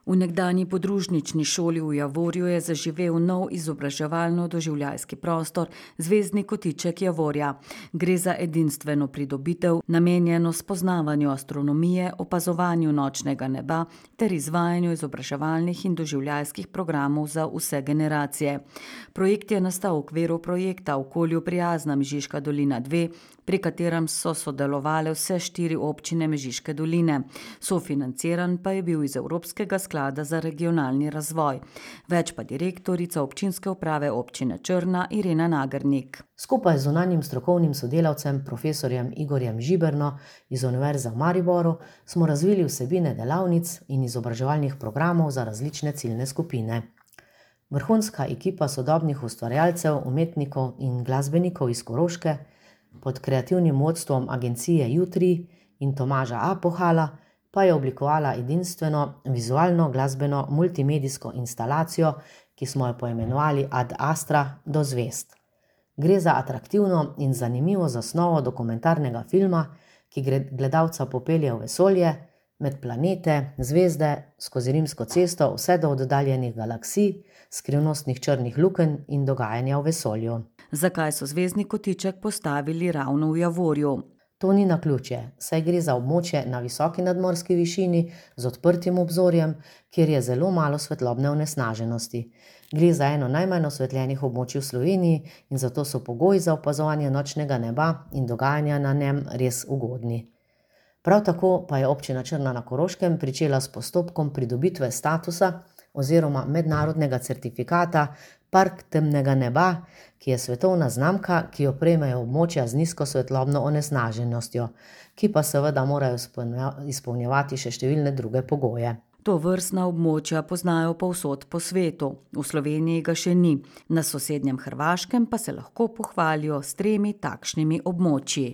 V nekdanji podružnični šoli v Javorju je zaživel nov izobraževalno-doživljajski prostor Zvezdni kotiček Javorja. Gre za edinstveno pridobitev, namenjeno spoznavanju astronomije, opazovanju nočnega neba ter izvajanju izobraževalnih in doživljajskih programov za vse generacije. Projekt je nastal v okviru projekta Okolju prijazna Mežiška dolina 2, pri katerem so sodelovale vse 4 občine Mežiške doline. Sofinanciran pa je bil iz Evropskega sklada za regionalni razvoj. Več pa direktorica občinske uprave občine Črna Irena Nagernik. Skupaj z zunanjim strokovnim sodelavcem profesorjem Igorjem Žiberno iz Univerze v Mariboru smo razvili vsebine delavnic in izobraževalnih programov za različne ciljne skupine. Vrhunska ekipa sodobnih ustvarjalcev, umetnikov in glasbenikov iz Koroške pod kreativnim vodstvom agencije Jutri in Tomaža Apohala pa je oblikovala edinstveno vizualno glasbeno multimedijsko instalacijo, ki smo jo poimenovali Ad Astra do zvezd. Gre za atraktivno in zanimivo zasnovo dokumentarnega filma, ki gledalca popelje v vesolje, med planete, zvezde, skozi Rimsko cesto, vse do oddaljenih galaksij, skrivnostnih črnih lukenj in dogajanja v vesolju. Zakaj so Zvezdni kotiček postavili ravno v Javorju? To ni naključje, saj gre za območje na visoki nadmorski višini z odprtim obzorjem, kjer je zelo malo svetlobne onesnaženosti. Gre za eno najmanj osvetljenih območij v Sloveniji in zato so pogoji za opazovanje nočnega neba in dogajanja na njem res ugodni. Prav tako pa je občina Črna na Koroškem pričela s postopkom pridobitve statusa oziroma mednarodnega certifikata Park temnega neba, ki je svetovna znamka, ki jo prejmejo območja z nizko svetlobno onesnaženostjo, ki pa seveda morajo izpolnjevati še številne druge pogoje. Tovrstna območja poznajo povsod po svetu, v Sloveniji ga še ni, na sosednjem Hrvaškem pa se lahko pohvalijo s 3 takšnimi območji.